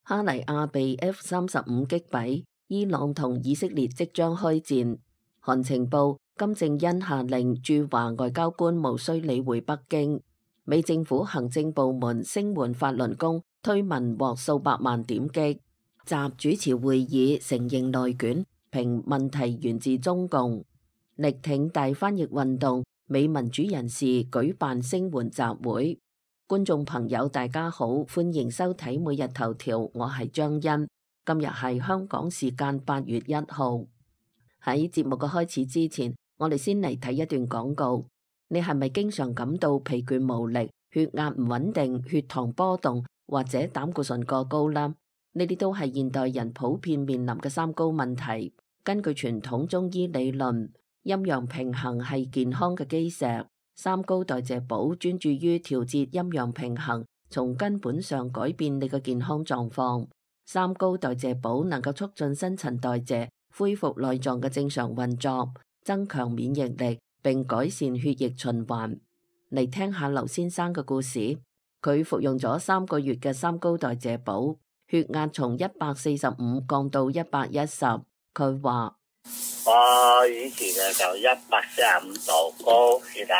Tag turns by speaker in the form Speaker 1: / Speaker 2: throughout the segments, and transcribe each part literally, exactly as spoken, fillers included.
Speaker 1: 哈尼亞被 F 三十五擊斃，伊朗同以色列即將開戰。韓情報，金正恩下令駐華外交官無需理會北京。美政府行政部門聲援法輪功推文獲數百萬點擊。習主持會議承認內卷，評問題源自中共。力挺大翻譯運動，美民主人士舉辦聲援集會。觀眾朋友大家好，歡迎收睇每日頭條，我係張欣。今日係香港時間八月一號。喺節目嘅開始之前，我哋先嚟睇一段廣告。你係咪經常感到疲倦無力、血壓唔穩定、血糖波動或者膽固醇過高啦？呢啲都係現代人普遍面臨嘅三高問題。根據傳統中醫理論，陰陽平衡係健康嘅基石。三高代謝寶專注於調節陰陽平衡，從根本上改變你嘅健康狀況。三高代謝寶能夠促進新陳代謝，恢復內臟嘅正常運作，增強免疫力，並改善血液循環。嚟聽下劉先生嘅故事，佢服用咗三個月嘅三高代謝寶，血壓從一百四十五降到一百一十。佢話：
Speaker 2: 我以前嘅就一百四十五度高血壓，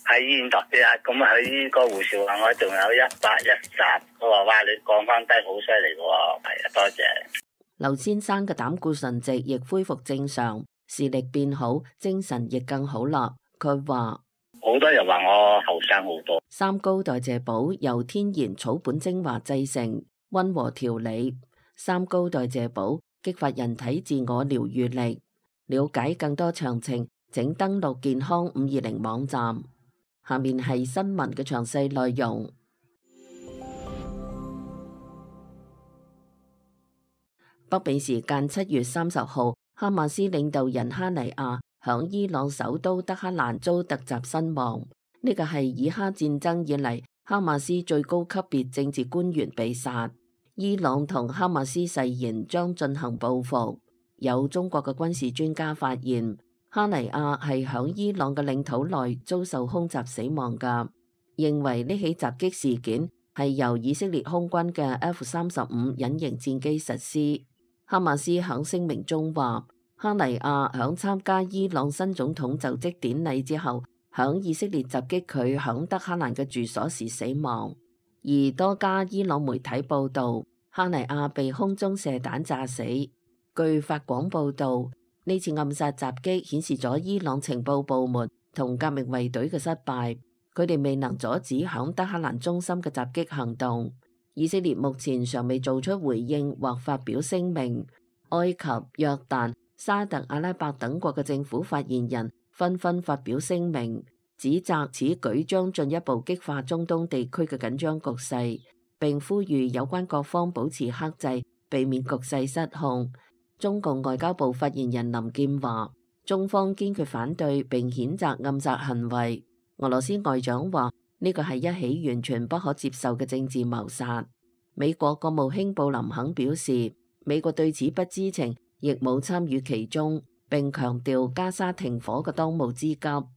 Speaker 2: 喺醫院度血壓，咁喺呢個護士話我仲有一百一十，佢話哇你降翻低好犀利嘅喎，係啊，多謝。
Speaker 1: 劉先生嘅膽固醇值亦恢復正常，視力變好，精神亦更好啦。佢話
Speaker 2: 好多人話我後生好多。
Speaker 1: 三高代謝寶由天然草本精華製成，溫和調理。三高代謝寶激發人體自我療愈力。了解更多詳情，請登錄健康五二零網站。下面係新聞嘅詳細內容。北美時間七月三十號，哈馬斯領導人哈尼亞響伊朗首都德黑蘭遭突襲身亡。呢個係以哈戰爭以嚟哈馬斯最高級別政治官員被殺。伊朗同哈馬斯誓言將進行報復。有中國嘅軍事專家發現，哈尼亞係響伊朗嘅領土內遭受空襲死亡㗎，認為呢起襲擊事件係由以色列空軍嘅 F 三十五隱形戰機實施。哈馬斯響聲明中話，哈尼亞響參加伊朗新總統就職典禮之後，響以色列襲擊佢響德黑蘭嘅住所時死亡。而多家伊朗媒體報道，哈尼亞被空中射彈炸死。據法廣報道，呢次暗殺襲擊顯示咗伊朗情報部門同革命衛隊嘅失敗，佢哋未能阻止響德黑蘭中心嘅襲擊行動。以色列目前尚未做出回應或發表聲明。埃及、約旦、沙特阿拉伯等國嘅政府發言人紛紛發表聲明，指責此舉將進一步激化中東地區嘅緊張局勢，並呼籲有關各方保持克制，避免局勢失控。中共外交部發言人林健話，中方堅決反對並譴責暗殺行為。俄羅斯外長話，呢個係一起完全不可接受嘅政治謀殺。美國國務卿布林肯表示，美國對此不知情，亦冇參與其中，並強調加沙停火嘅當務之急。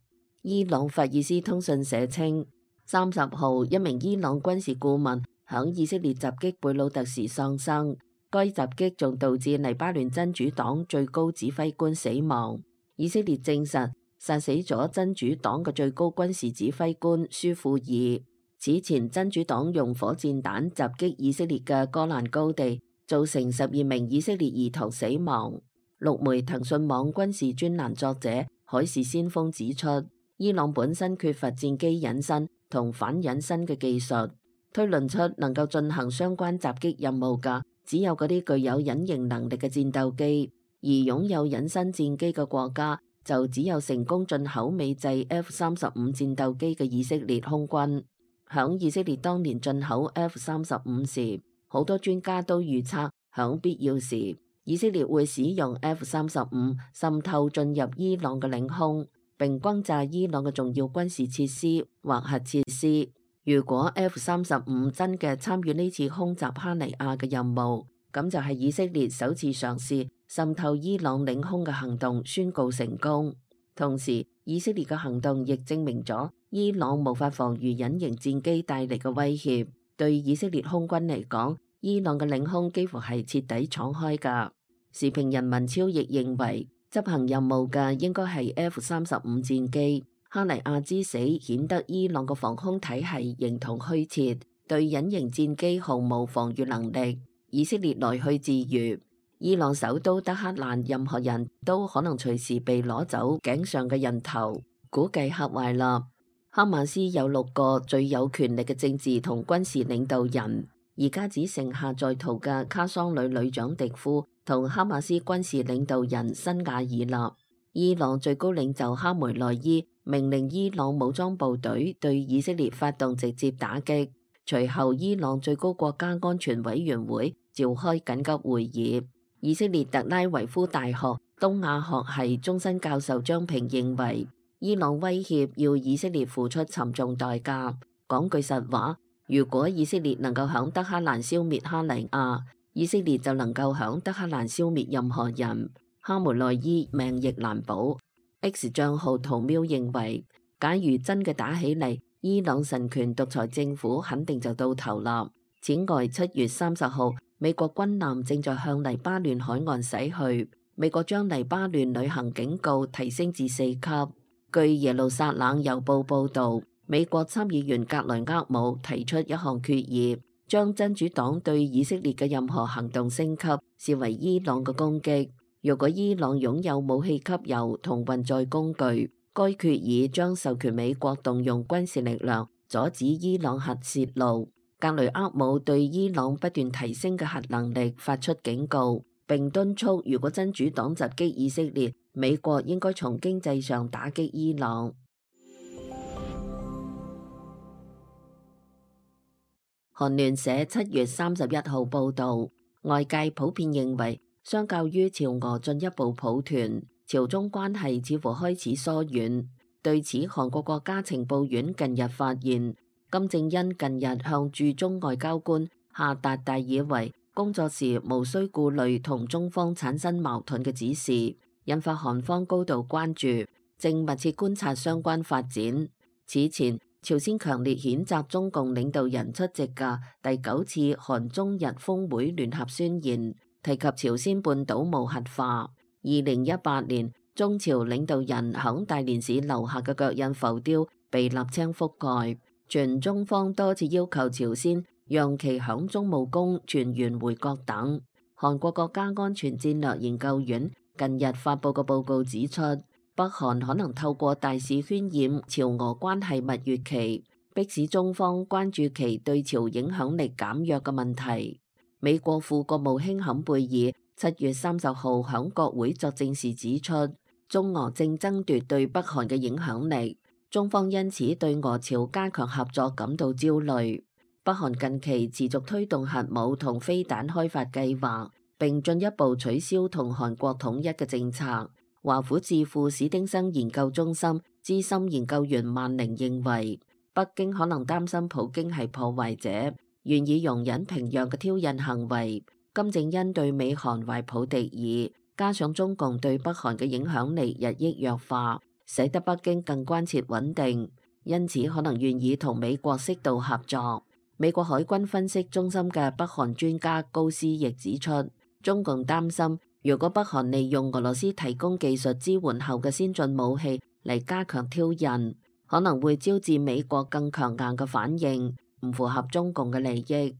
Speaker 1: 伊朗法爾斯通訊社稱，三十號一名伊朗軍事顧問響以色列襲擊貝魯特時喪生。該襲擊仲導致黎巴嫩真主黨最高指揮官死亡。以色列證實殺死咗真主黨嘅最高軍事指揮官舒庫爾。此前真主黨用火箭彈襲擊以色列嘅戈蘭高地，造成十二名以色列兒童死亡。陸媒騰訊網軍事專欄作者海事先鋒指出，伊朗本身缺乏戰機隱身同反隱身嘅技術，推論出能夠進行相關襲擊任務嘅只有嗰啲具有隱形能力嘅戰鬥機，而擁有隱身戰機嘅國家就只有成功進口美製 F 三十五戰鬥機嘅以色列空軍。響以色列當年進口 F 三十五時，好多專家都預測響必要時，以色列會使用 F 三十五滲透進入伊朗嘅領空，並轟炸伊朗嘅重要軍事設施或核設施。如果 F 三十五真嘅參與呢次空襲哈尼亞嘅任務，咁就係以色列首次嘗試滲透伊朗領空嘅行動宣告成功。同時，以色列嘅行動亦證明咗伊朗無法防禦隱形戰機帶嚟嘅威脅。對以色列空軍嚟講，伊朗嘅領空幾乎係徹底敞開㗎。時評人文超亦認為，執行任務嘅應該係 F 三十五戰機。哈尼亞之死顯得伊朗嘅防空體系形同虛設，對隱形戰機毫無防禦能力。以色列來去自如，伊朗首都德黑蘭任何人都可能隨時被攞走頸上嘅人頭。估計嚇壞啦。哈馬斯有六個最有權力嘅政治同軍事領導人，而家只剩下在逃嘅卡桑旅旅長迪夫同哈馬斯軍事領導人辛瓦爾啦。伊朗最高領袖哈梅內伊命令伊朗武裝部隊對以色列發動直接打擊，隨後伊朗最高國家安全委員會召開緊急會議。以色列特拉維夫大學東亞學系終身教授張平認為，伊朗威脅要以色列付出沉重代價。講句實話，如果以色列能夠響德黑蘭消滅哈尼亞，以色列就能夠響德黑蘭消滅任何人。哈梅內伊命亦難保。X 賬號圖喵認為，假如真嘅打起嚟，伊朗神權獨裁政府肯定就到頭啦。此外，七月三十號，美國軍艦正在向黎巴嫩海岸駛去，美國將黎巴嫩旅行警告提升至四級。據耶路撒冷郵報報導，美國參議員格雷厄姆提出一項決議，將真主黨對以色列嘅任何行動升級視為伊朗嘅攻擊。如果伊朗擁有武器級油同運載工具，該決議將授權美國動用軍事力量阻止伊朗核泄漏。格雷厄姆對伊朗不斷提升嘅核能力發出警告，並敦促如果真主黨襲擊以色列，美國應該從經濟上打擊伊朗。韓聯社七月三十一號報導，外界普遍認為，相較於朝俄進一步抱團，朝中關係似乎開始疏遠。對此，韓國國家情報院近日發現，金正恩近日向駐中外交官下達大以為工作時無需顧慮同中方產生矛盾嘅指示，引發韓方高度關注，正密切觀察相關發展。此前，朝鮮強烈譴責中共領導人出席嘅第九次韓中日峰會聯合宣言，提及朝鮮半島無核化。二零一八年，中朝領導人響大連市留下嘅腳印浮雕被瀝青覆蓋，全中方多次要求朝鮮讓其響中務宮全員回國等。韓國國家安全戰略研究院近日發佈嘅報告指出，北韓可能透過大肆渲染朝俄關係蜜月期，迫使中方關注其對朝影響力減弱嘅問題。美國副國務卿坎貝爾七月三十號響國會作證時指出，中俄正爭奪對北韓嘅影響力，中方因此對俄朝加強合作感到焦慮。北韓近期持續推動核武同飛彈開發計劃，並進一步取消同韓國統一嘅政策。華府智庫史丁生研究中心資深研究員萬寧認為，北京可能擔心普京係破壞者，願意容忍平壤嘅挑釁行為。金正恩對美韓懷抱敵意，加上中共對北韓嘅影響力日益弱化，使得北京更關切穩定，因此可能願意同美國適度合作。美國海軍分析中心嘅北韓專家高斯亦指出，中共擔心如果北韓利用俄羅斯提供技術支援後嘅先進武器嚟加強挑釁，可能會招致美國更強硬嘅反應，唔符合中共嘅利益。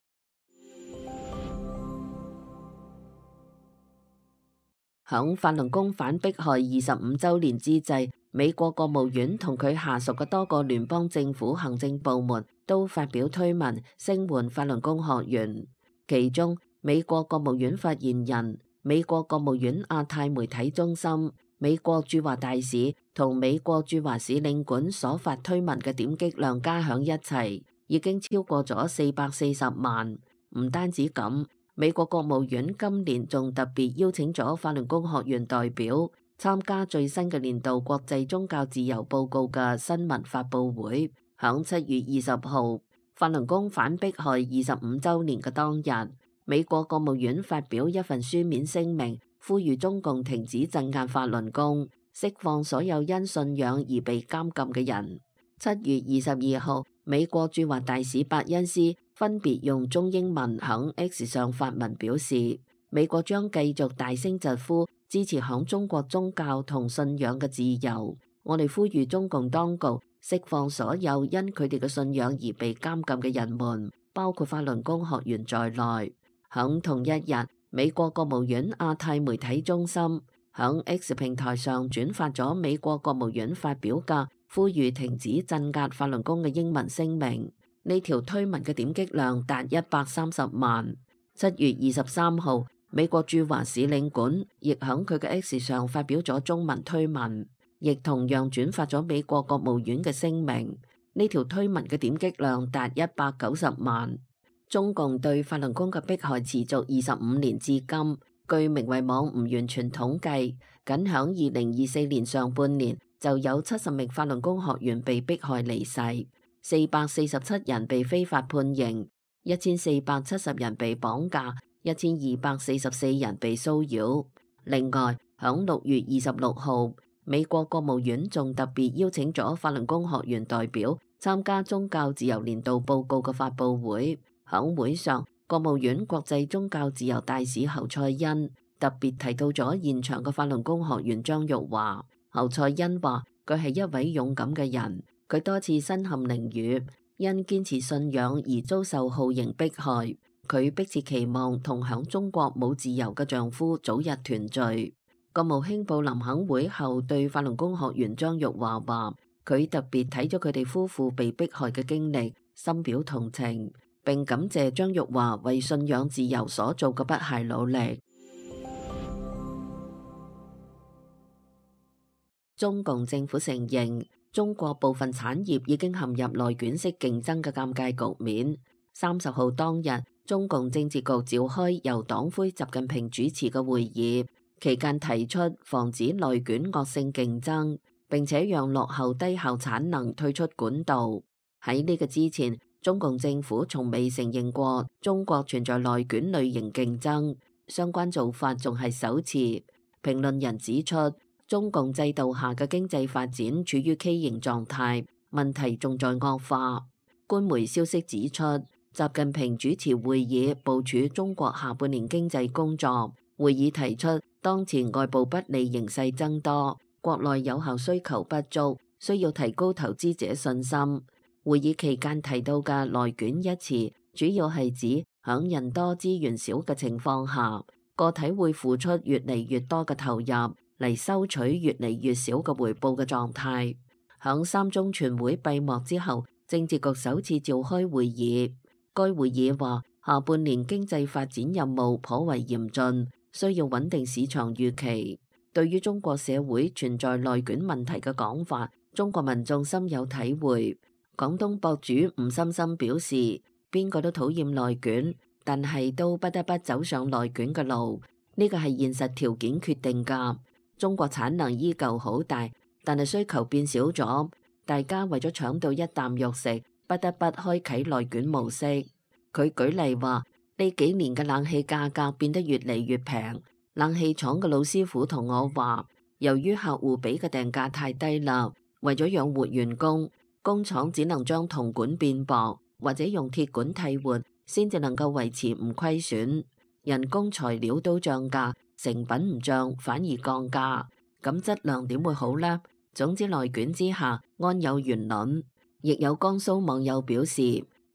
Speaker 1: 響法輪功反迫害二十五週年之際，美國國務院同佢下屬嘅多個聯邦政府行政部門都發表推文聲援法輪功學員。其中，美國國務院發言人、美國國務院亞太媒體中心、美國駐華大使同美國駐華使領館所發推文嘅點擊量加響一齊，已經超過咗四百四十萬。唔單止咁，美國國務院今年仲特別邀請咗法輪功學員代表參加最新嘅年度國際宗教自由報告嘅新聞發佈會。響七月二十號，法輪功反迫害二十五週年嘅當日，美國國務院發表一份書面聲明，呼籲中共停止鎮壓法輪功，釋放所有因信仰而被監禁嘅人。七月二十二號，美國駐華大使伯恩斯分別用中英文響 X 上發文表示，美國將繼續大聲疾呼支持響中國宗教同信仰嘅自由。我哋呼籲中共當局釋放所有因佢哋嘅信仰而被監禁嘅人們，包括法輪功學員在內。響同一日，美國國務院亞太媒體中心響 X 平台上轉發咗美國國務院發表嘅呼籲停止鎮壓法輪功嘅英文聲明。呢條推文嘅點擊量達一百三十萬。七月二十三號，美國駐華使領館亦響佢嘅 X 上發表咗中文推文，亦同樣轉發咗美國國務院嘅聲明。呢條推文嘅點擊量達一百九十萬。中共對法輪功嘅迫害持續二十五年至今，據明慧網唔完全統計，僅響二零二四年上半年就有七十名法輪功學員被迫害離世，四百四十七人被非法判刑，一千四百七十人被綁架，一千二百四十四人被騷擾。另外，響六月二十六號，美國國務院仲特別邀請咗法輪功學員代表參加宗教自由年度報告嘅發佈會。響會上，國務院國際宗教自由大使侯賽因特別提到咗現場嘅法輪功學員張玉華。侯賽因話佢係一位勇敢嘅人，佢多次身陷囹圄，因堅持信仰而遭受酷刑迫害。佢迫切期望同響中國冇自由嘅丈夫早日團聚。國務卿布林肯會後對法輪功學員張玉華話，佢特別睇咗佢哋夫婦被迫害嘅經歷，深表同情，並感謝張玉華為信仰自由所做嘅不懈努力。中共政府承認，中國部分產業已經陷入內卷式競爭嘅尷尬局面。三十號當日，中共政治局召開由黨魁習近平主持嘅會議，期間提出防止內卷惡性競爭，並且讓落後低效產能退出管道。喺呢個之前，中共政府從未承認過中國存在內卷類型競爭，相關做法仲係首次。評論人指出，中共制度下嘅經濟發展處於畸形狀態，問題仲在惡化。官媒消息指出，習近平主持會議部署中國下半年經濟工作。會議提出，當前外部不利形勢增多，國內有效需求不足，需要提高投資者信心。會議期間提到嘅內卷一詞，主要係指響人多資源少嘅情況下，個體會付出越嚟越多嘅投入嚟收取越嚟越少嘅回報嘅狀態。響三中全會閉幕之後，政治局首次召開會議。該會議話，下半年經濟發展任務頗為嚴峻，需要穩定市場預期。對於中國社會存在內卷問題嘅講法，中國民眾深有體會。廣東博主吳心心表示，邊個都討厭內卷，但係都不得不走上內卷嘅路，呢個係現實條件決定㗎。中國產能依舊好大，但係需求變少咗，大家為咗搶到一啖肉食，不得不開啟內卷模式。佢舉例話，呢幾年嘅冷氣價格變得越嚟越平，冷氣廠嘅老師傅同我話，由於客戶俾嘅定價太低啦，為咗養活員工，工廠只能將銅管變薄，或者用鐵管替換，先至能夠維持唔虧損。人工材料都漲價，成品唔漲反而降價，咁質量點會好呢？總之內卷之下安有完卵。亦有江蘇網友表示，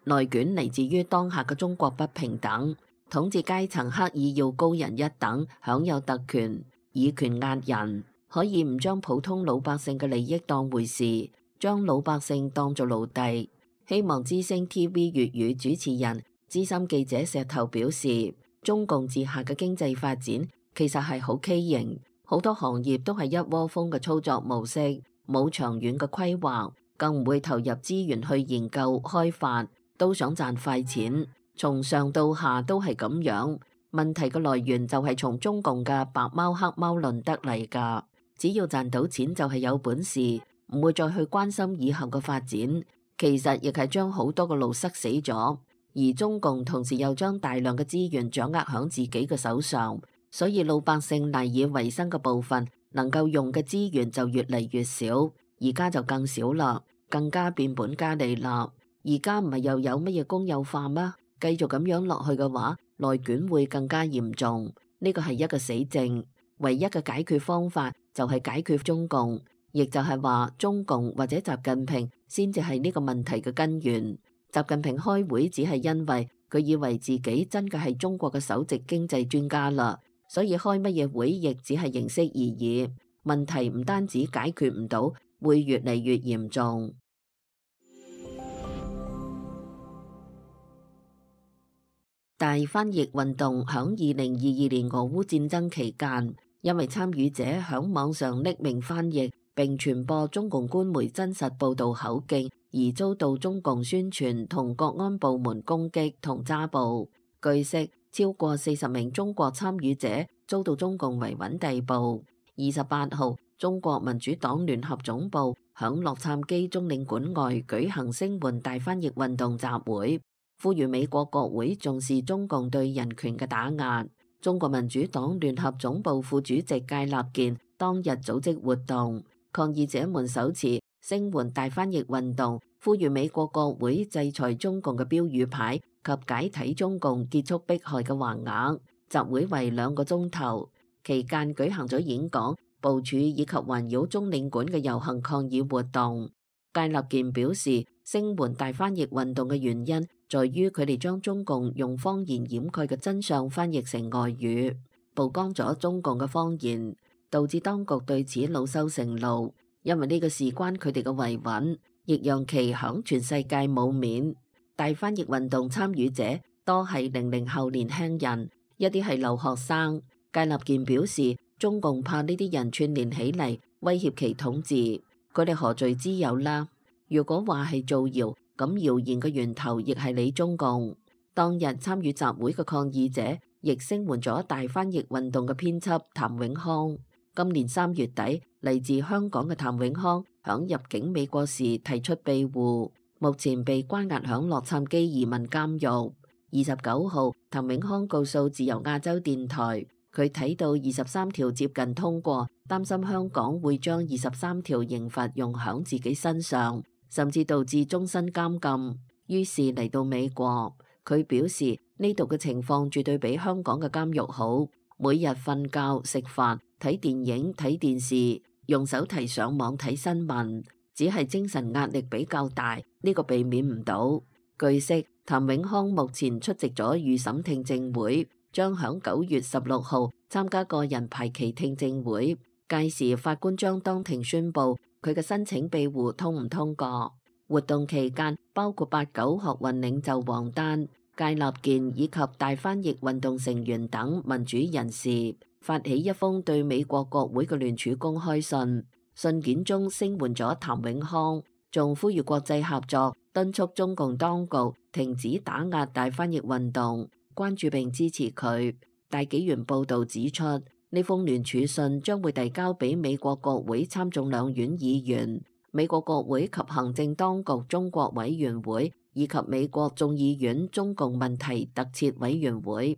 Speaker 1: 內卷嚟自於當下嘅中國不平等，統治階層刻意要高人一等，享有特權，以權壓人，可以唔將普通老百姓嘅利益當回事，將老百姓當做奴隸。希望之聲 T V 粵語主持人資深記者石頭表示，中共治下嘅經濟發展其實係好畸形，好多行業都係一窩蜂嘅操作模式，冇長遠嘅規劃，更唔會投入資源去研究開發，都想賺快錢，從上到下都係咁樣。問題嘅來源就係從中共嘅白貓黑貓論得嚟㗎，只要賺到錢就係有本事，唔會再去關心以後嘅發展，其實亦係將好多嘅路塞死咗。而中共同時又將大量嘅資源掌握喺自己嘅手上，所以老百姓賴以為生嘅部分能夠用嘅資源就越嚟越少，而家就更少啦，更加變本加厲啦。而家唔係又有乜嘢公有化嗎？繼續咁樣落去嘅話，內卷會更加嚴重。呢個係一個死症，唯一嘅解決方法就係解決中共，亦就係話中共或者習近平先至係呢個問題嘅根源。習近平開會只係因為佢以為自己真嘅係中國嘅首席經濟專家啦，所以開乜嘢會亦只係形式而已。問題唔單止解決唔到，會越嚟越嚴重。大翻譯運動響二零二二年俄烏戰爭期間，因為參與者響網上匿名翻譯並傳播中共官媒真實報導口徑，而遭到中共宣傳同國安部門攻擊同抓捕。據悉，超過四十名中國參與者遭到中共維穩逮捕。二十八號，中國民主黨聯合總部響洛杉磯中領館外舉行聲援大翻譯運動集會，呼籲美國國會重視中共對人權嘅打壓。中國民主黨聯合總部副主席戒立健當日組織活動，抗議者們手持聲援大翻譯運動，呼籲美國國會制裁中共嘅標語牌及解體中共結束迫害嘅橫額。集會為兩個鐘頭，期間舉行咗演講、部署以及環繞中領館嘅遊行抗議活動。戒立健表示，聲援大翻譯運動嘅原因在於佢哋將中共用謊言掩蓋嘅真相翻譯成外語，曝光咗中共嘅謊言，導致當局對此惱羞成怒。因為呢個事關佢哋嘅維穩，亦讓其響全世界冇面。大翻譯運動參與者多係零零後年輕人，一啲係留學生。戒立健表示，中共怕呢啲人串聯起嚟威脅其統治，佢哋何罪之有啦？如果話係造謠，咁謠言嘅源頭亦係你中共。當日參與集會嘅抗議者，亦聲援咗大翻譯運動嘅編輯譚永康。今年三月底，嚟自香港嘅譚永康響入境美國時提出庇護，目前被關押響洛杉磯移民監獄。二十九號，譚永康告訴自由亞洲電台，佢睇到二十三條接近通過，擔心香港會將二十三條刑罰用響自己身上，甚至導致終身監禁。於是嚟到美國，佢表示呢度嘅情況絕對比香港嘅監獄好，每日瞓覺、食飯、睇電影、睇電視，用手提上網睇新聞，只係精神壓力比較大，呢個避免唔到。據悉，譚永康目前出席咗預審聽證會，將響九月十六號參加個人排期聽證會，屆時法官將當庭宣布佢嘅申請庇護通唔通過。活動期間，包括八九學運領袖王丹、戒立健以及大翻譯運動成員等民主人士發起一封對美國國會嘅聯署公開信，信件中聲援咗譚永康，仲呼籲國際合作，敦促中共當局停止打壓大翻譯運動，關注並支持佢。大紀元報導指出，呢封聯署信將會遞交俾美國國會參眾兩院議員、美國國會及行政當局中國委員會以及美國眾議院中共問題特設委員會。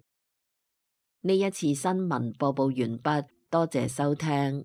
Speaker 1: 呢一次新聞播報完畢，多謝收聽。